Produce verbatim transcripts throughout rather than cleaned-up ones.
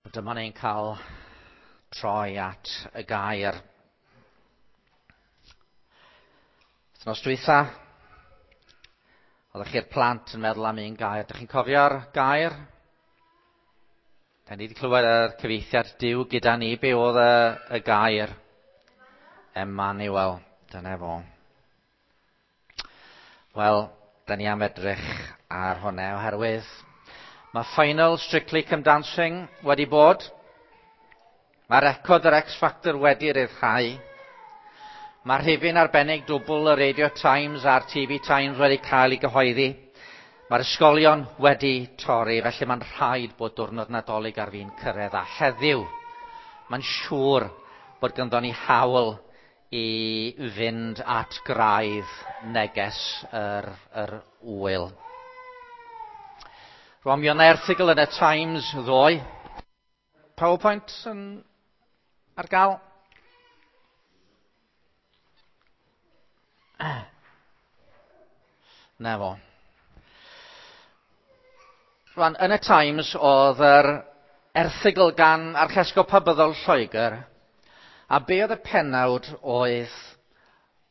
Dyma ni'n cael troi at y gair. Wythnos dwytha, oeddech chi'r plant yn meddwl am un gair. Dych chi'n cofio'r gair? Da ni wedi clywed yr cyfieithiad Duw gyda ni. Be oedd y, y gair? Emmanuel. Dyna fo. Wel, da ni am edrych ar hwnna oherwydd mae final Strictly Come Dancing wedi bod. Mae record yr X Factor wedi ryddhau. Mae rhifyn arbennig dwbl y Radio Times a'r T V Times wedi cael ei gyhoeddi. Mae'r ysgolion wedi torri, felly mae'n rhaid bod diwrnod Nadolig ar fin cyrraedd. A heddiw, mae'n siŵr bod ganddo ni hawl i fynd at graidd neges yr, yr ŵyl. Rwan, mi oedd 'na erthygl yn y Times ddoe. PowerPoint yn ar gael? Na fo. Rwan, yn y Times oedd yr erthygl gan Archesgob Pabyddol Lloegr, a be oedd y pennawd oedd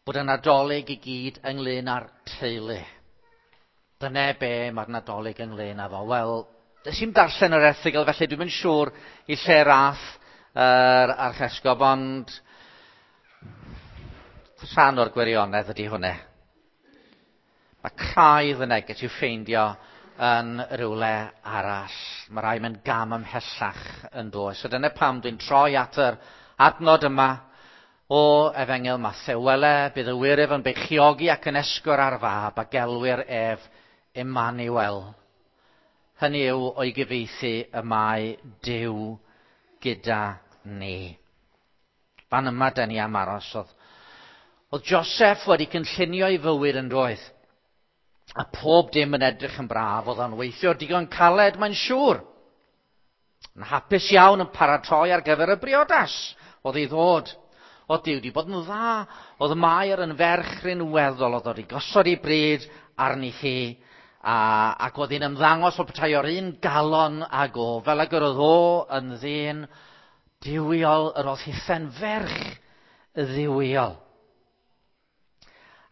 bod y Nadolig i gyd ynglyn â'r teulu. Dyna be mae'r Nadolig ynglyn â fo. Wel, nes i'm darllen yr erthygl, felly dwi'm yn siŵr i lle rath yr Archesgob, ond rhan o'r gwirionedd ydy hwnna. Mae craidd y neges i'w ffeindio yn rhywle arall. Mae rai mynd gam ymhellach yn does. So dyna pam dwi'n troi at yr adnod yma o Efengyl Mathew. Wele, bydd y wyryf yn beichiogi ac yn esgor ar fab a gelwir ef Emmanuel. Hynny yw o'i gyfieithu y mae Duw gyda ni. Fan yma da ni am aros. Oedd, oedd Joseph wedi cynllunio ei fywyd yn doedd. A pob dim yn edrych yn braf, oedd o'n weithio digon caled, mae'n siŵr. Yn hapus iawn yn paratoi ar gyfer y briodas oedd ei ddod. Oedd Duw wedi bod yn dda, oedd Mair yn ferch rinweddol, oedd wedi gosod ei bryd arni hi, a, ac oedd hi'n ymddangos fel petai o'r un galon ag o, fel ag yr oedd o yn ddyn duwiol, yr oedd hithen ferch dduwiol.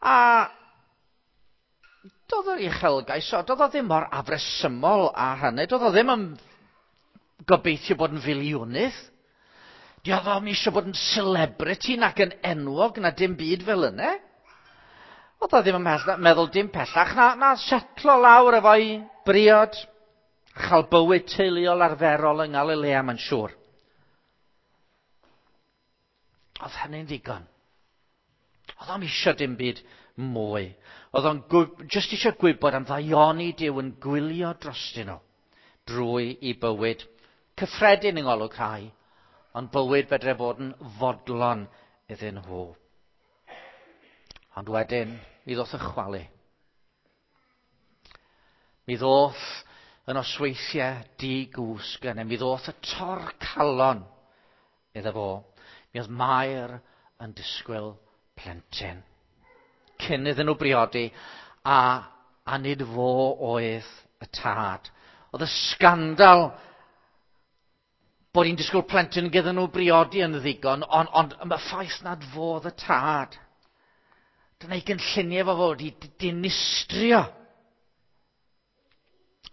A doedd yr uchelgais, doedd o ddim mor afresymol â hynny, doedd o ddim yn gobeithio bod yn filiwnydd. Doedd o'm eisiau bod yn celebrity nac yn enwog na dim byd fel yna. Oedd o ddim yn meddwl dim pellach na, na setlo lawr efo'i briod, a chael bywyd teuluol arferol yng Nghalilea, mae'n siŵr. Oedd hynny'n ddigon. Oedd o'm eisiau dim byd mwy. Oedd o'n jyst eisiau gwybod am ddaioni Duw yn gwylio drostyn nhw drwy i bywyd cyffredin yng ngolwg rhai, ond bywyd fedre fod yn fodlon iddyn nhw. Ond wedyn, mi ddoth y chwalu. Mi ddoth y nosweithiau di-gwsg yna. Mi ddoth y torcalon iddo fo. Mi oedd Mair yn disgwyl plentyn. Cyn iddyn nhw briodi, a, a nid fo oedd y tad. Oedd y sgandal bod hi'n disgwyl plentyn gyda nhw briodi yn ddigon, ond, ond y ffaith nad fo oedd y tad. Dyna ei gynlluniau fo fod i dinistrio.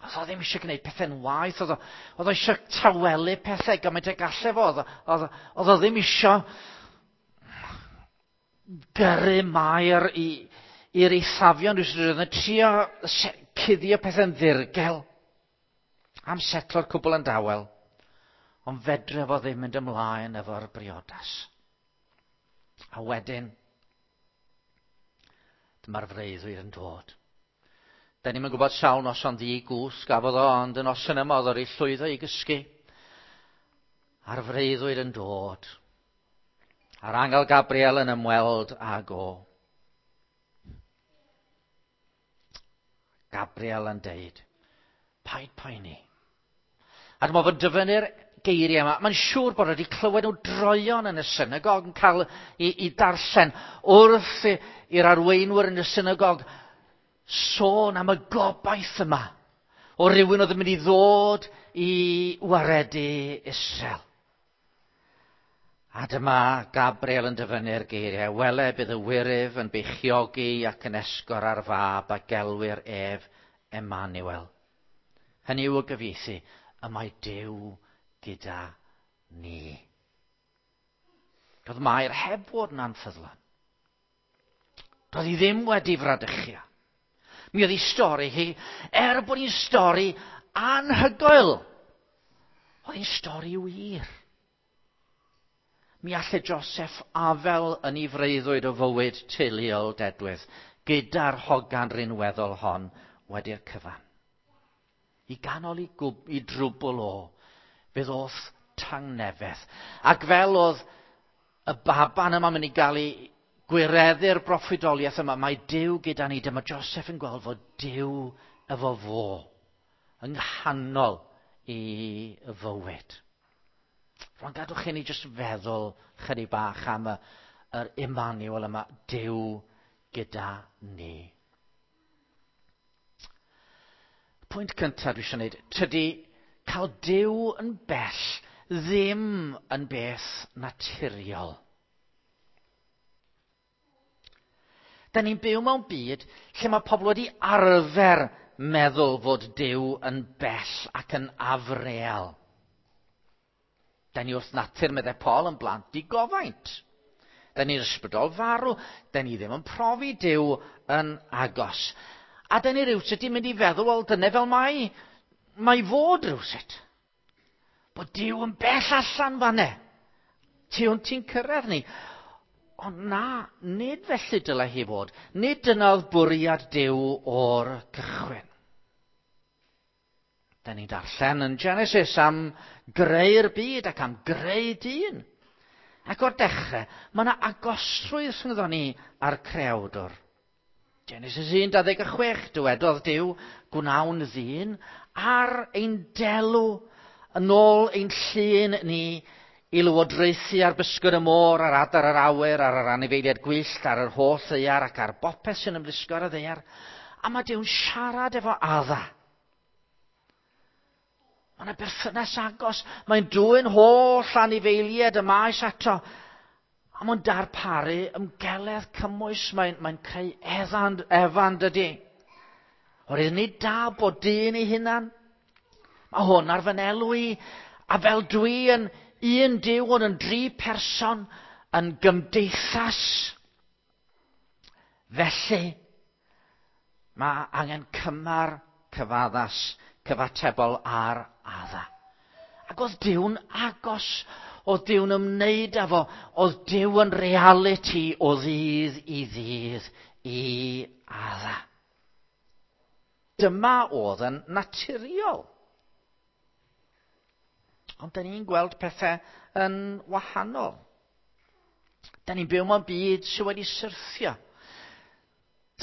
Oedd o ddim eisiau gwneud pethau'n waeth, oedd o, oedd o eisiau tawelu pethau gymaint y gallai fo, oedd, oedd, oedd o ddim eisiau gyrru Mair i, i'r eithafion, rhywsut, oedd yn trio cuddio pethau'n ddirgel am setlo'r cwbl yn dawel. Ond fedre fo ddim mynd ymlaen efo'r briodas. A wedyn, dyma'r freuddwyd yn dod. Da ni'm yn gwybod sawl noson ddi-gwsg gafodd o, ond y noson yma oedd o wedi llwyddo i gysgu. A'r freuddwyd yn dod. A'r angel Gabriel yn ymweld ag o. Gabriel yn deud, paid poeni. A dyma fo'n dyfynnu'r geiriau yma. Mae'n siŵr bod wedi clywed nhw droeon yn y synagog yn cael i, i darllen wrth i'r arweinwyr yn y synagog sôn am y gobaith yma o rywun oedd yn mynd i ddod i waredu Israel. A dyma Gabriel yn dyfynnu'r geiriau, wele bydd y wyryf yn beichiogi ac yn esgor ar fab a gelwir ef Emmanuel. Hynny yw y gyfieithu, y mae Duw gyda ni. Doedd Mair heb fod yn anffyddlon. Doedd hi ddim wedi fradychio. Mi oedd hi stori hi, er bod hi'n stori anhygoel, oedd hi'n stori wir. Mi allai Joseph afel yn ei freuddwyd o fywyd teuluol dedwydd, gyda'r hogan rinweddol hon wedi'r cyfan. I ganol i, gwb, i drwbl o, fe ddoth tangnefedd. Ac fel oedd y baban yma mynd i gael ei gwireddu'r broffwydoliaeth yma, mae Duw gyda ni. Dyma Joseph yn gweld fod Duw efo fo yng nghanol i fywyd. Rwan gadwch chi ni jyst feddwl chydig bach am y, yr Emmanuel yma, Duw gyda ni. Pwynt cyntaf dwi eisiau gwneud, tydi cael Duw yn bell ddim yn beth naturiol. Da ni'n byw mewn byd lle mae pobl wedi arfer meddwl fod Duw yn bell ac yn afreal. Da ni wrth natur, meddai Paul, yn blant digofaint. Da ni'n ysbrydol farw. Da ni ddim yn profi Duw yn agos. A da ni rywsut yn mynd i feddwl, wel, dyna fel mae, mae fod rywsut. Bod Duw yn bell allan fanne. Tu hwnt ti'n cyrraedd ni. Ond na, nid felly dylai hi fod. Nid dyna oedd bwriad Duw o'r cychwyn. Da ni'n darllen yn Genesis am greu'r byd ac am greu dyn. Ac o'r dechrau, mae yna agosrwydd rhyngddo ni a'r creawdwr. Genesis un dau ddeg chwech, dywedodd Duw, gwnawn ddyn ar ein delw, yn ôl ein llun ni, i lywodraethu ar bysgod y môr, ar adar yr awyr, ar yr anifeiliaid gwyllt, ar yr holl ddaear ac ar bopeth sy'n ymlusgo ar y ddaear. A mae Duw'n siarad efo Adda. Mae yna berthynas agos. Mae'n dwyn holl anifeiliaid y maes ato. A mae'n darparu ymgeledd cymwys. Mae'n, mae'n creu Efan, Efan dydy. Oherwydd nid da bod dyn ei hunan. Mae hwn ar fy nelw i. A fel dwi yn un Duw ond yn dri person yn gymdeithas. Felly, mae angen cymar cyfaddas, cyfatebol ar Adda. Ac oedd Duw'n agos, oedd Duw'n ymwneud â fo, oedd Duw yn realiti o ddydd i ddydd i Adda. Dyma oedd yn naturiol. Ond da ni'n gweld pethau yn wahanol. Da ni'n byw mewn byd sydd wedi syrthio.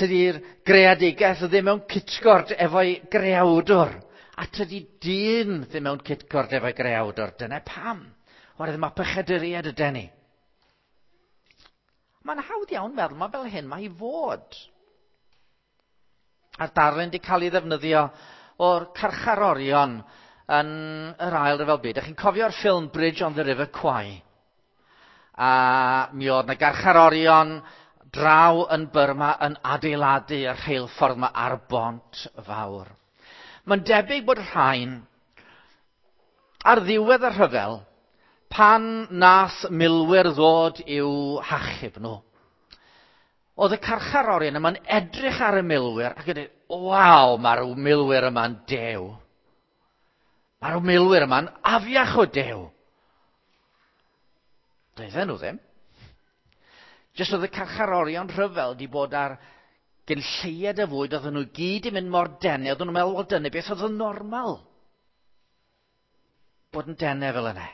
Tydi'r greadigaeth ddim mewn cytgord efo'i greawdwr. A tydi dyn ddim mewn cytgord efo'i greawdwr. Dyna pam. Oherwydd mae pechaduriaid yden ni. Mae'n hawdd iawn meddwl, mae fel hyn mae i fod. A'r darlun wedi cael ei ddefnyddio o'r carcharorion yn yr ail ryfel byd. Ydych chi'n cofio'r ffilm Bridge on the River Kwai? A mi oedd 'na garcharorion draw yn Burma yn adeiladu y rheilffordd yma ar bont fawr. Mae'n debyg bod rhain ar ddiwedd y rhyfel, pan nath milwyr ddod i'w hachub nhw, oedd y carcharorion yma'n edrych ar y milwyr ac yn dweud, waw, mae'r milwyr yma'n dew. Mae'r milwyr yma'n afiach o dew. Doedden nhw ddim. Jyst oedd y carcharorion rhyfel wedi bod ar gyn lleied y fwyd, oedden nhw gyd i mynd mor denau, oedden nhw'n meddwl, wel dyna beth oedd yn normal. Bod yn denau fel yna.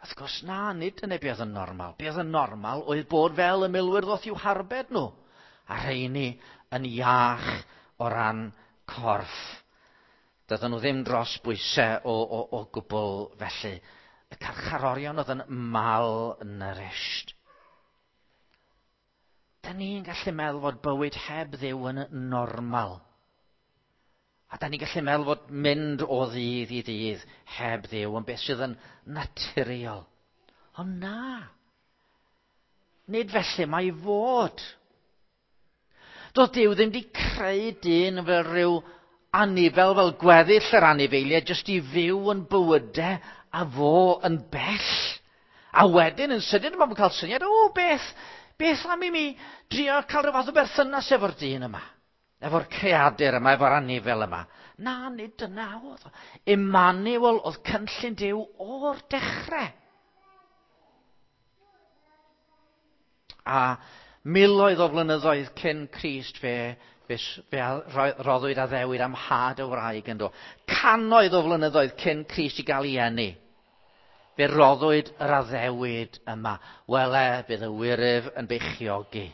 Wrth gwrs na, nid dyna beth oedd yn normal. Beth oedd yn normal oedd bod fel y milwyr ddoth i'w harbed nhw. A rheini yn iach o ran corff. Doedden nhw ddim dros bwysau o, o, o gwbl felly. Y carcharorion oedd yn malnourished. Da ni'n gallu meddwl fod bywyd heb Dduw yn normal. A da ni'n gallu meddwl fod mynd o ddydd i ddydd heb Dduw yn beth sydd yn naturiol. Ond na. Nid felly mae i fod. Doedd Duw ddim wedi creu dyn fel rhyw anifel, fel gweddill yr anifeiliaid, jyst i fyw yn bywydau a fo yn bell. A wedyn yn sydyn mae'n cael syniad, o beth, beth am i mi drio cael rhyw fath o berthynas efo'r dyn yma, efo'r creadur yma, efo'r anifel yma. Na, nid dyna oedd o. Emmanuel oedd cynllun Duw o'r dechrau. A miloedd o flynyddoedd cyn Crist fe, fe, fe roddwyd addewid am had y wraig yn do. Cannoedd o flynyddoedd cyn Crist i gael ei eni. Fe roddwyd yr addewid yma. Wele, bydd y wyryf yn beichiogi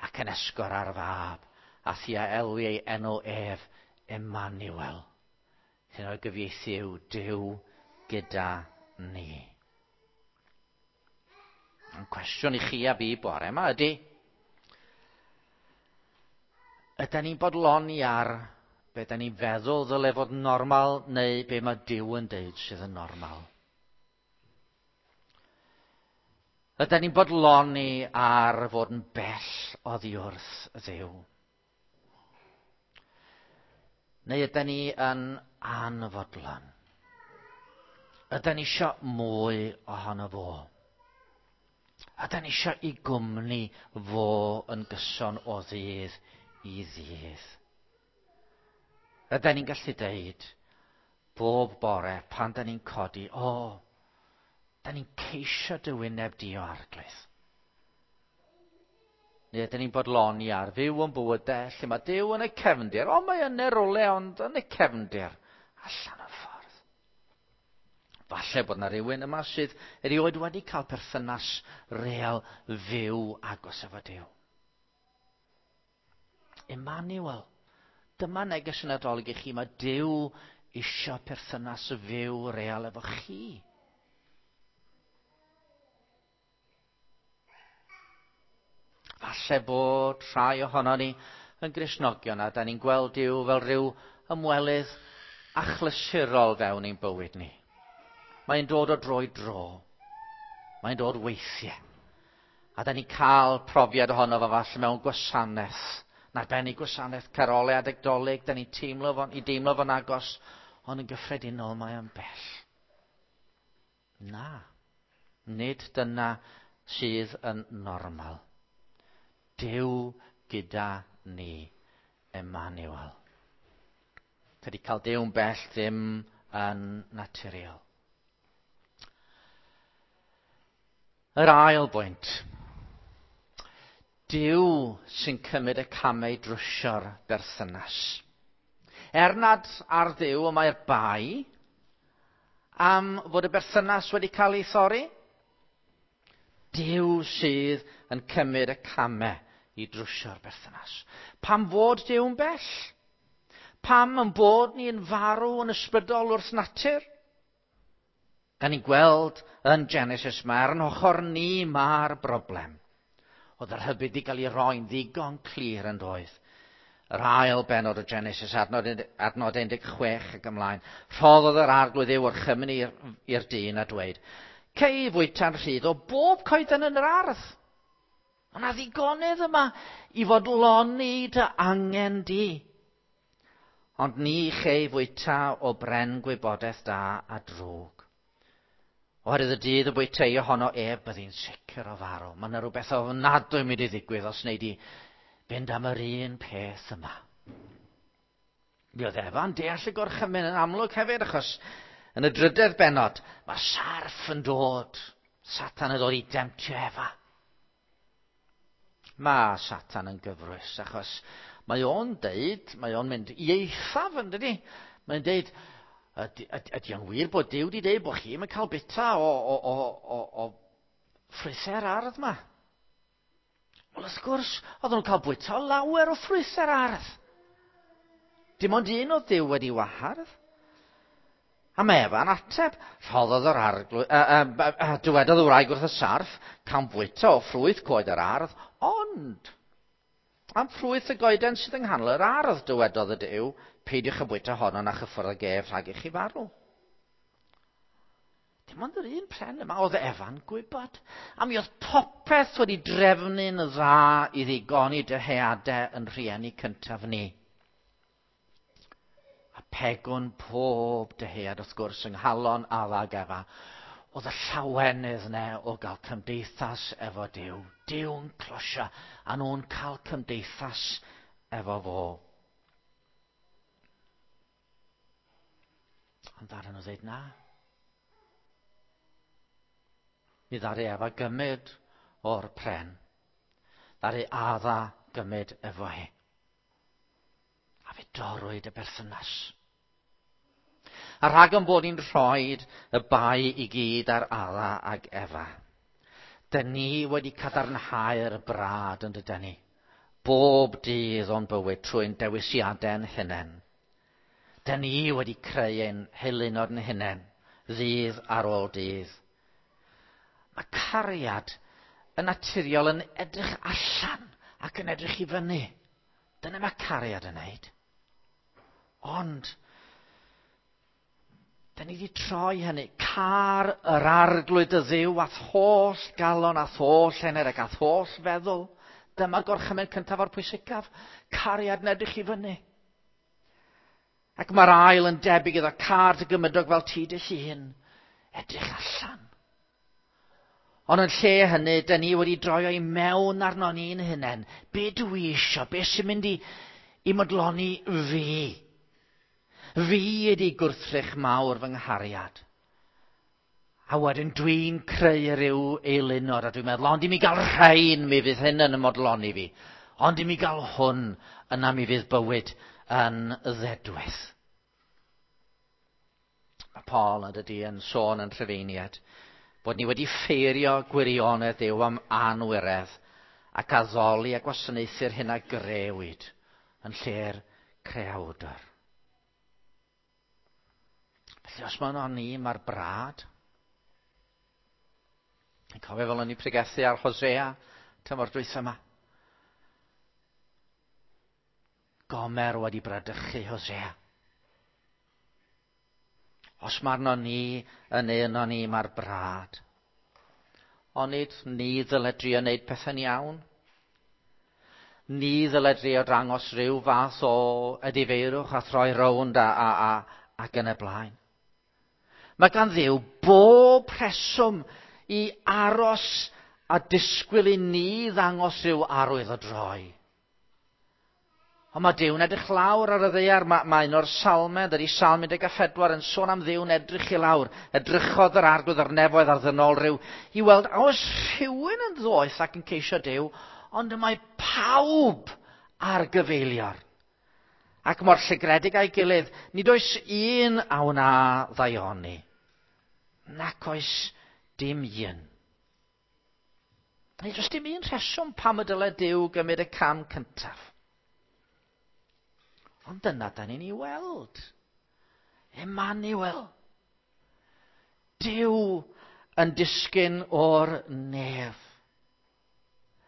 ac yn esgor ar fab, a thia elwi ei enw ef Emmanuel. Hyn o'i gyfieithu yw Duw gyda ni. Yn cwestiwn i chi a fi bore yma ydy, ydy ni'n bodloni ar be da ni'n feddwl ddyle fod normal neu be mae Duw yn deud sydd yn normal? Ydy ni'n bodloni ar fod yn bell oddi wrth Dduw? Neu ydy ni yn anfodlon? Ydy ni isio mwy ohono fo? Ydy ni isio i gwmni fo yn gyson o ddydd i ddydd? Ydy ni'n gallu deud bob bore pan da ni'n codi, o, da ni'n ceisio dy wyneb di o Arglwydd. Neu ydyn ni'n bodloni ar fyw yn bywydau lle mae Duw yn y cefndir. O, mae yn y rwle, ond yn y cefndir. Allan o'r ffordd. Falle bod yna rhywun yma sydd erioed wedi cael perthynas real fyw agos efo Duw. Emmanuel. Dyma neges y Nadolig i chi. Mae Duw isio perthynas fyw real efo chi. Falle bod rhai ohono ni yn Gristnogion a da ni'n gweld Duw fel rhyw ymwelydd achlysurol fewn ein bywyd ni. Mae'n dod o dro i dro. Mae'n dod weithiau. A da ni'n cael profiad ohono fo falle mewn gwasanaeth. Yn arbennig gwasanaeth carolau adeg Dolig, da ni'n teimlo fo'n, i deimlo fo'n agos, ond yn gyffredinol mae o'n bell. Na, nid dyna sydd yn normal. Duw gyda ni, Emmanuel. Tydi cael Duw'n bell ddim yn naturiol. Yr ail bwynt. Duw sy'n cymryd y camau drwsio'r berthynas. Er nad ar Dduw y mae'r bai am fod y berthynas wedi cael ei thorri, Duw sydd yn cymryd y camau i drwsio'r berthynas. Pam fod Duw'n bell? Pam yn bod ni'n farw yn ysbrydol wrth natur? Da ni'n gweld yn Genesis mae ar yn ochr ni mae'r broblem. Oedd yr rhybudd wedi cael ei roi'n ddigon clir yn doedd. Yr ail bennod o Genesis, adnod, adnod un deg chwech ac ymlaen. Rhoddodd yr Arglwydd Dduw orchymyn i'r dyn a dweud, cei fwyta'n rhydd o bob coeden yn yr ardd. Ond na ddigonedd yma i fodloni dy angen di. Ond ni chei fwyta o bren gwybodaeth da a drwg. Oherwydd y dydd y bwytei ohono ef, byddi'n sicr o farw. Mae yna rhywbeth ofnadwy mynd i ddigwydd os wnei di fynd am yr un peth yma. Mi oedd Efa'n deall y gorchymyn yn amlwg hefyd, achos yn y drydedd bennod, mae sarff yn dod. Satan yn dod i demtio Efa. Mae Satan yn gyfrwys, achos mae o'n deud, mae o'n mynd i eithaf yn dydi. Mae'n deud, ydy, ydy o'n wir bod Duw wedi deud bod chi'n cael bita o, o, o, o, o ffrwythau'r ardd yma? Wel, wrth gwrs, oedden nhw'n cael bwyta o lawer o ffrwythau'r ardd. Dim ond un oedd Duw wedi wahardd. A mae Efa'n ateb, rhoddodd yr arglwydd, uh, uh, uh, dywedodd y wraig wrth y sarff, cawn fwyta o ffrwyth coed yr ardd, ond Am ffrwyth y goeden sydd yng nghanol yr ardd, dywedodd y Duw, peidiwch â bwyta honno na chyffwrdd ag ef rhag i chi farw. Dim ond yr un pren yma oedd Efa'n gwybod. A mi oedd popeth wedi drefnu'n dda i ddigoni dyheadau yn rhieni cyntaf ni. A pegwn pob dyhead wrth gwrs yng nghalon Adda ag Efa oedd y llawenydd yna o gael cymdeithas efo Duw. Duw'n closio a nhw'n cael cymdeithas efo fo. Ond ddaru nhw ddweud na. Mi ddaru Efa gymryd o'r pren. Ddaru Adda gymryd efo hi. A fe dorrwyd y berthynas. A rhag yn bod ni'n rhoi y bai i gyd ar Adda ag Efa. Dyn ni wedi cadarnhau'r brad yn dydyn ni. Bob dydd o'n bywyd trwy'n dewisiadau'n hunain. Dyn ni wedi creu ein heilunod yn hunain, ddydd ar ôl dydd. Mae cariad yn naturiol yn edrych allan ac yn edrych i fyny. Dyna mae cariad yn neud. Ond, dyn ni wedi troi hynny. Car yr arglwydd y Dduw a'th holl galon, a'th holl enaid ac a'th holl feddwl. Dyma'r gorchymyn cyntaf o'r pwysicaf. Cariad yn edrych i fyny. Ac mae'r ail yn debyg iddo, car dy gymydog fel ti dy hun. Edrych allan. Ond yn lle hynny, dyn ni wedi droio i mewn arno ni'n hunain. Be dwi isio? Be sy'n mynd i, i modloni fi? Fi ydi gwrthrych mawr fy nghariad. A wedyn dwi'n creu rhyw eilunod a dwi'n meddwl, ond i mi gael rhain, mi fydd hyn yn ymodloni fi. Ond i mi gael hwn, yna mi fydd bywyd yn ddedwydd. Mae Paul yn dydi yn sôn yn Rhufeiniaid bod ni wedi ffeirio gwirionedd Duw am anwiredd ac addoli a gwasanaethu'r hyn a grëwyd yn lle'r creawdr. Felly os mae yno ni, mae'r brad. Yn cofio fel o'n i pregethu ar Hosea tymor dwytha yma. Gomer wedi bradychu Hosea. Os mae arno ni yn un o'n ni, mae'r brad. Onid ni ddyle drio wneud pethau'n iawn? Ni ddyle drio dangos rhyw fath o edifeirwch a throi rownd a, a, a, ac yn y blaen. Mae gan Dduw bob rheswm i aros a disgwyl i ni ddangos rhyw arwydd o droi. Ond mae Duw'n edrych lawr ar y ddaear. Mae, mae un o'r salmau, dydy Salm un deg pedwar yn sôn am Dduw'n edrych i lawr. Edrychodd yr arglwydd ar nefoedd ar ddynol rhyw i weld a oes rhywun yn ddoeth ac yn ceisio Duw, ond y mae pawb ar gyfeilior. Ac mor llygredig a'i gilydd, nid oes un a wna ddaioni. Nac oes dim un. Nid oes dim un rheswm pam y dyle Duw gymryd y cam cyntaf. Ond dyna da ni'n ei weld. Emmanuel. Duw yn disgyn o'r nef.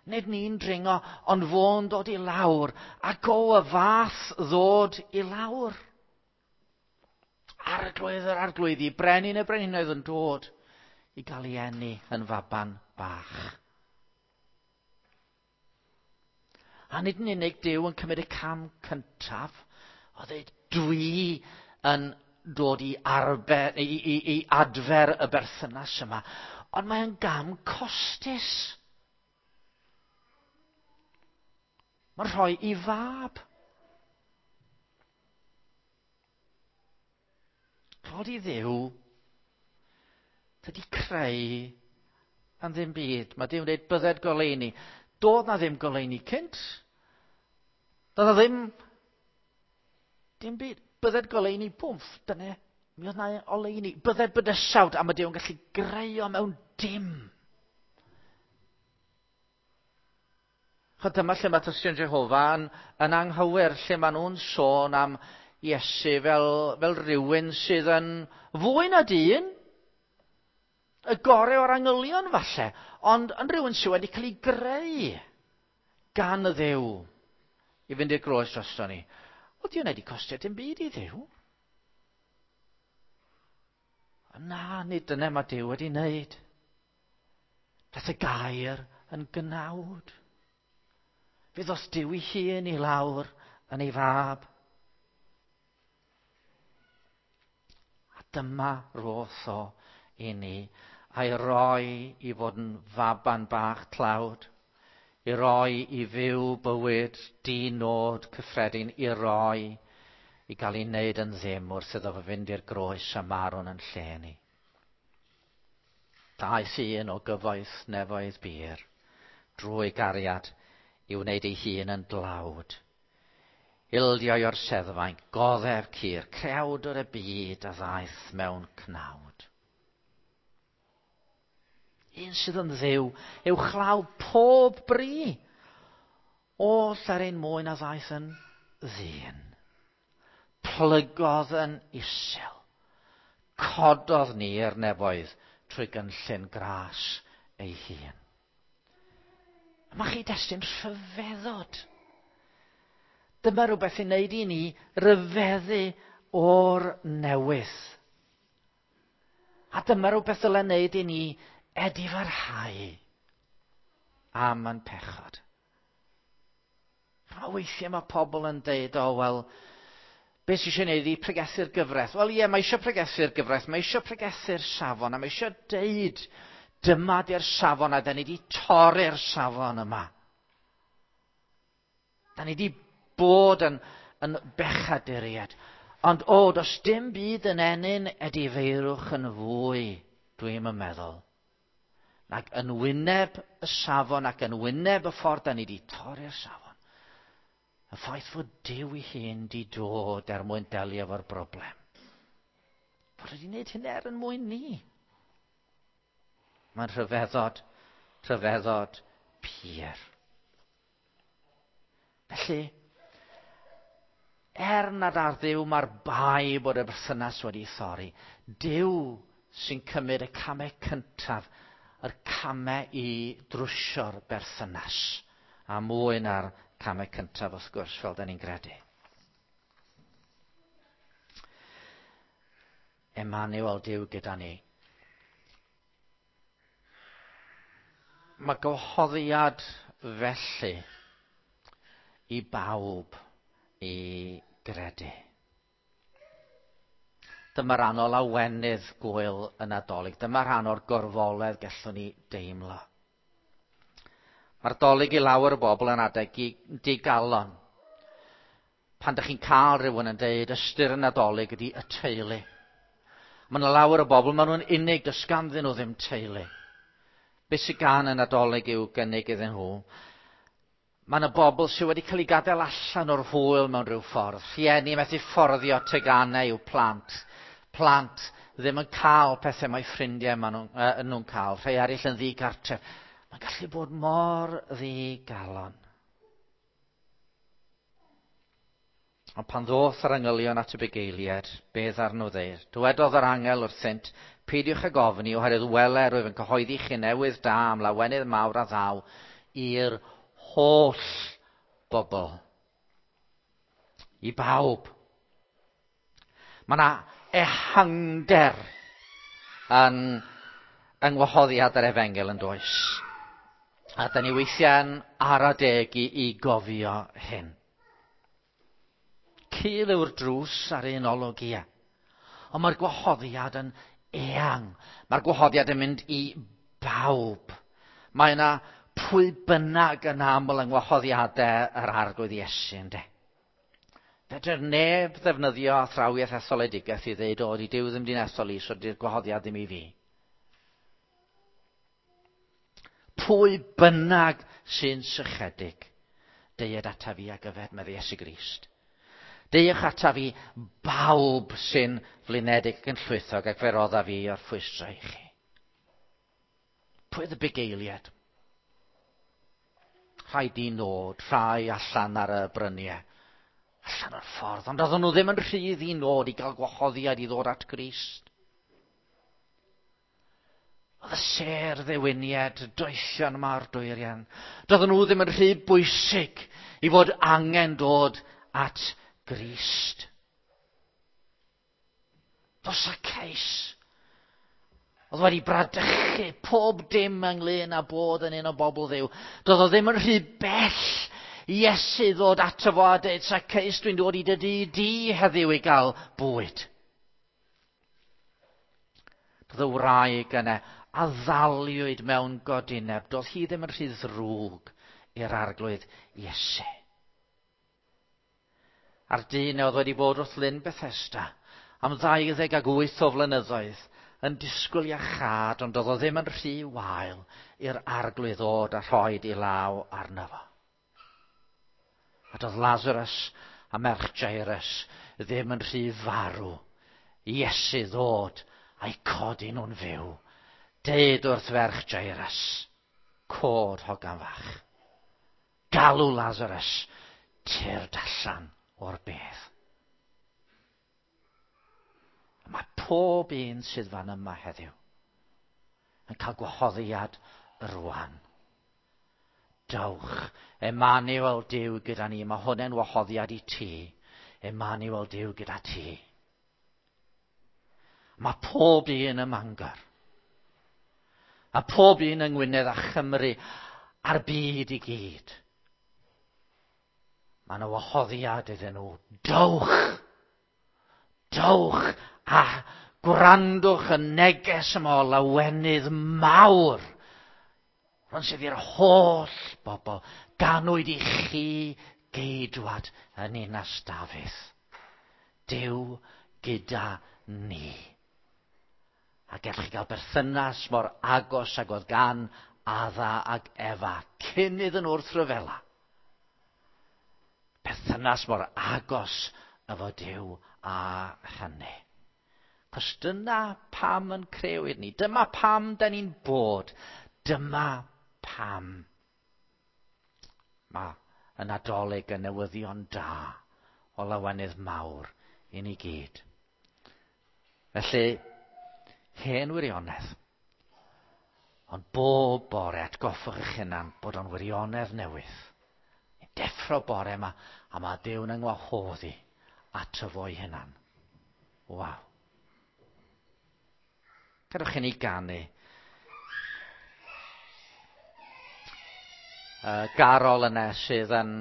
Nid ni'n dringo, ond fo'n dod i lawr. Ac o y fath ddod i lawr. Arglwydd yr arglwyddi, brenin y brenhinoedd yn dod i gael ei eni yn faban bach. A nid yn unig Duw yn cymryd y cam cyntaf, o ddeud, dwi yn dod i, arfer, i, i, i adfer y berthynas yma. Ond mae'n gam costus. Mae'n rhoi i fab. Clod i Dduw, dydy creu yn ddim byd. Mae Duw'n dweud bydded goleuni. Doedd na ddim goleuni cynt. Doedd na ddim dim byd. Bydded goleuni, pwmff, dyna, mi oedd na oleuni. Bydded bydysawd, a mae Duw'n gallu greu o mewn dim. Chod dyma lle mae Tystion Jehofa yn, yn anghywir, lle maen nhw'n sôn am Iesu fel, fel rhywun sydd yn fwy na dyn, y gorau o'r angylion falle, ond yn rhywun sydd wedi cael ei greu gan y Dduw. i fynd i'r groes drosto ni. Wel, di hwnna wedi costio dim byd i Dduw. Na, nid dyna mae Duw wedi wneud. Daeth y gair yn gnawd. Fe ddoth Duw ei hun i lawr yn ei fab. A dyma roth o i ni, a'i roi i fod yn faban bach tlawd, i roi i fyw bywyd di-nod cyffredin, i roi i gael ei wneud yn ddim wrth iddo fo fynd i'r groes a marw'n yn lle ni. Daeth un o gyfoeth nefoedd bur drwy gariad i wneud ei hun yn dlawd. Ildio o'r seddfainc, goddef cur, creawdwr y byd a ddaeth mewn cnawd. Un sydd yn Dduw, uwchlaw pob bri, oll er ein mwyn a ddaeth yn ddyn. Plygodd yn isel, cododd ni i'r nefoedd trwy gynllun gras ei hun. Mae chi destun rhyfeddod. Dyma rhywbeth i wneud i ni ryfeddu o'r newydd. A dyma rhywbeth dylai wneud i ni edifarhau am yn pechod. A weithiau mae pobl yn deud, o, wel, beth sy'n eisiau gwneud i pregethu'r gyfraith? Wel, ie, mae eisiau pregethu'r gyfraith, mae eisiau pregethu'r safon, a mae eisiau deud, dyma di'r safon, a da ni wedi torri'r safon yma. Da ni wedi bod yn, yn bechaduriaid. Ond, o, does dim byd yn ennyn edifeirwch yn fwy, dwi'n meddwl. Ac yn wyneb y safon ac yn wyneb y ffordd da ni wedi torri'r safon. Y ffaith fod Duw ei hun di dod er mwyn delio efo'r broblem. Fod wedi wneud hyn er yn mwyn ni. Mae'n rhyfeddod, rhyfeddod pur. Felly, er nad ar Dduw mae'r bai bod y berthynas wedi thorri, Duw sy'n cymryd y camau cyntaf, yr camau i drwsio'r berthynas, a mwy na'r camau cyntaf wrth gwrs, fel da ni'n gredu. Emmanuel, Duw gyda ni. Mae gwahoddiad felly i bawb i gredu. Dyma rhan o lawenydd gwyl y Nadolig. Dyma rhan o'r gorfoledd gallwn ni deimlo. Mae'r Dolig i lawer o bobl yn adeg digalon. Pan ydych chi'n cael rhywun yn deud ystyr y Nadolig ydy y teulu. Mae yna lawer o bobl, maen nhw'n unig, does ganddyn nhw ddim teulu. Be sydd gan y Nadolig i'w gynnig iddyn nhw? Mae yna bobl sydd wedi cael eu gadael allan o'r hwyl mewn rhyw ffordd. Rhieni methu fforddio teganau i'w plant. Plant ddim yn cael pethau mae ffrindiau maen nhw'n, uh, nhw'n cael. Rhai eraill yn ddigartref. Mae'n gallu bod mor ddigalon. Ond pan ddoth yr angylion at y bugeiliaid, beth arnyn nhw ddeud? Dywedodd yr angel wrthynt, peidiwch ag ofni, oherwydd wele rwyf yn cyhoeddi chi newydd da am lawenydd mawr a ddaw i'r holl bobl. I bawb. Mae yna ehangder yn yng ngwahoddiad yr efengyl yn does. A da ni weithiau'n ara deg i, i gofio hyn. Cul yw'r drws ar un olwg, ia. Ond mae'r gwahoddiad yn eang. Mae'r gwahoddiad yn mynd i bawb. Mae yna pwy bynnag yn aml yng ngwahoddiadau yr Arglwydd Iesu, ynde. Fedr neb ddefnyddio athrawiaeth etholedigaeth i ddeud, o, di Duw ddim di'n ethol i, so di'r gwahoddiad ddim i fi. Pwy bynnag sy'n sychedig, deued ata fi ag yfed, medde Iesu Grist. Deuwch ata fi bawb sy'n flinedig ac yn llwythog ac fe rodda fi o'r ffwystra i chi. Pwy oedd y bugeiliaid? Rhai di nod, rhai allan ar y bryniau, allan o'r ffordd, ond oedden nhw ddim yn rhy ddi-nod i gael gwahoddiad i ddod at Grist. Oedd y Y sêr ddewinied, y doethion yma o'r dwyrian. Doedden nhw ddim yn rhy bwysig i fod angen dod at Grist. Does Zacchaeus oedd wedi bradychu pob dim ynglyn â bod yn un o bobl Dduw. Doedd o ddim yn rhy bell i Iesu ddod ato fo a dweud, Zacchaeus, dwi'n dod i dy dŷ di heddiw i gael bwyd. Doedd y wraig yna a ddaliwyd mewn godineb. Doedd hi ddim yn rhy ddrwg i'r Arglwydd Iesu. A'r dyn oedd wedi bod wrth Lyn Bethesda am ddau ddeg ag wyth o flynyddoedd yn disgwyl iachâd, ond doedd o ddim yn rhy wael i'r Arglwydd ddod a rhoid ei law arno fo. A doedd Lazarus a merch Jairus ddim yn rhy farw i Iesu ddod a'i codi nhw'n fyw. Deud wrth ferch Jairus, cod hogan fach. Galw Lazarus, tyrd allan o'r bedd. A mae pob un sydd fan yma heddiw yn cael gwahoddiad rwan. Dowch, Emmanuel Duw gyda ni. Mae hwnna'n wahoddiad i ti. Emmanuel Duw gyda ti. Mae pob un ym Mangor. A pob un yng Ngwynedd a Chymru a'r byd i gyd. Mae yna wahoddiad iddyn nhw. Dowch! Dowch a gwrandwch y neges yma o lawenydd mawr. Rhan sydd i'r holl bobl. Ganwyd i chi geidwad yn ninas Dafydd. Duw gyda ni. A gallwch chi gael berthynas mor agos ag oedd gan Adda ag Efa cyn iddyn nhw wrthryfela. Perthynas mor agos efo Duw a hynny. Cos dyna pam yn crewyd ni. Dyma pam da ni'n bod. Dyma pam. Mae y Nadolig yn newyddion da o lawenydd mawr i ni gyd. Felly, hen wirionedd. Ond bob bore atgoffwch eich hunan bod o'n wirionedd newydd. Ni'n deffro bore yma a mae Duw'n yng ngwahodd i ato fo'i hunan. Waw. Gadewch i ni ganu. Uh, garol yna sydd yn,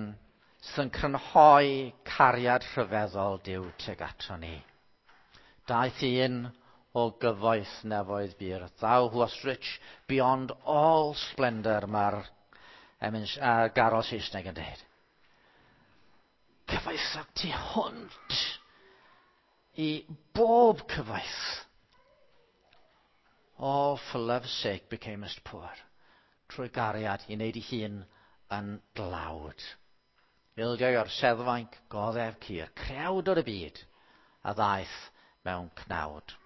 sydd yn crynhoi cariad rhyfeddol Duw tuag ato ni. Daeth un o gyfoeth nefoedd bur. Thou who wast rich beyond all splendour, mae'r emyn, uh, garol Saesneg yn dweud. Cyfoethog tu hwnt i bob cyfoeth. All for love's sake becamest poor. Trwy gariad i wneud ei hun yn dlawd. Ildiau o'r seddfainc, goddef cur, crewd o'r y byd, a ddaeth mewn cnawd.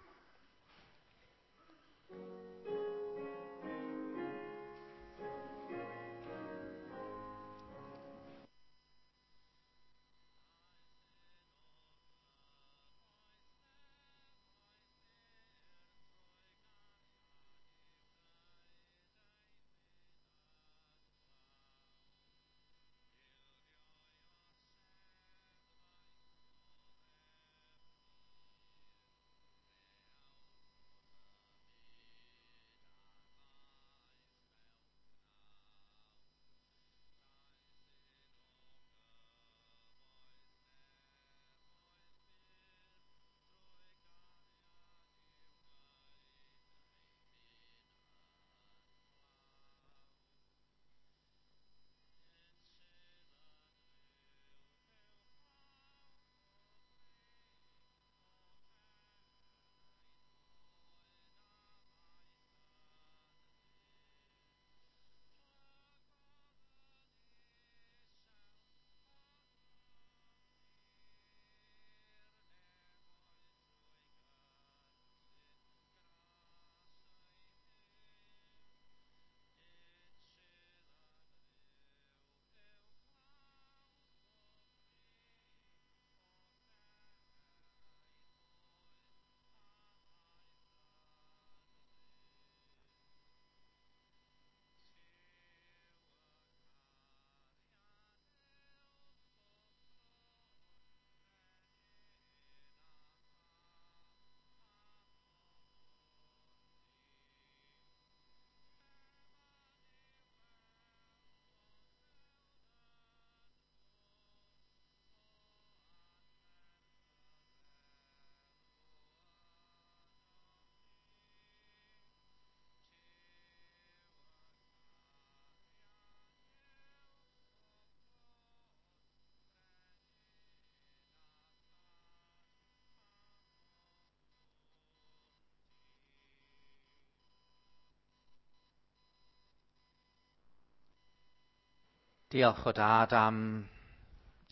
Diolch o Dad am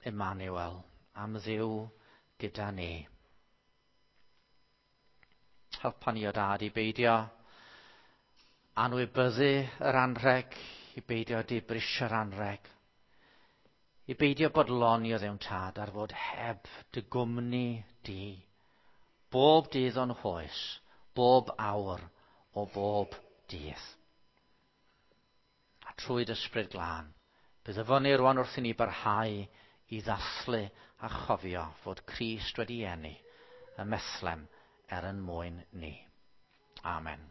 Emmanuel, am Dduw gyda ni. Helpa ni o Dad i beidio anwybyddu yr anrheg, i beidio dibrisio'r anrheg, i beidio bodloni o Dduw Tad ar fod heb dy gwmni di, bob dydd o'n hoes, bob awr o bob dydd. A trwy dy Ysbryd Glân, bydd efo ni rwan wrth i ni barhau i ddathlu a chofio fod Crist wedi eni ym Methlehem er ein mwyn ni. Amen.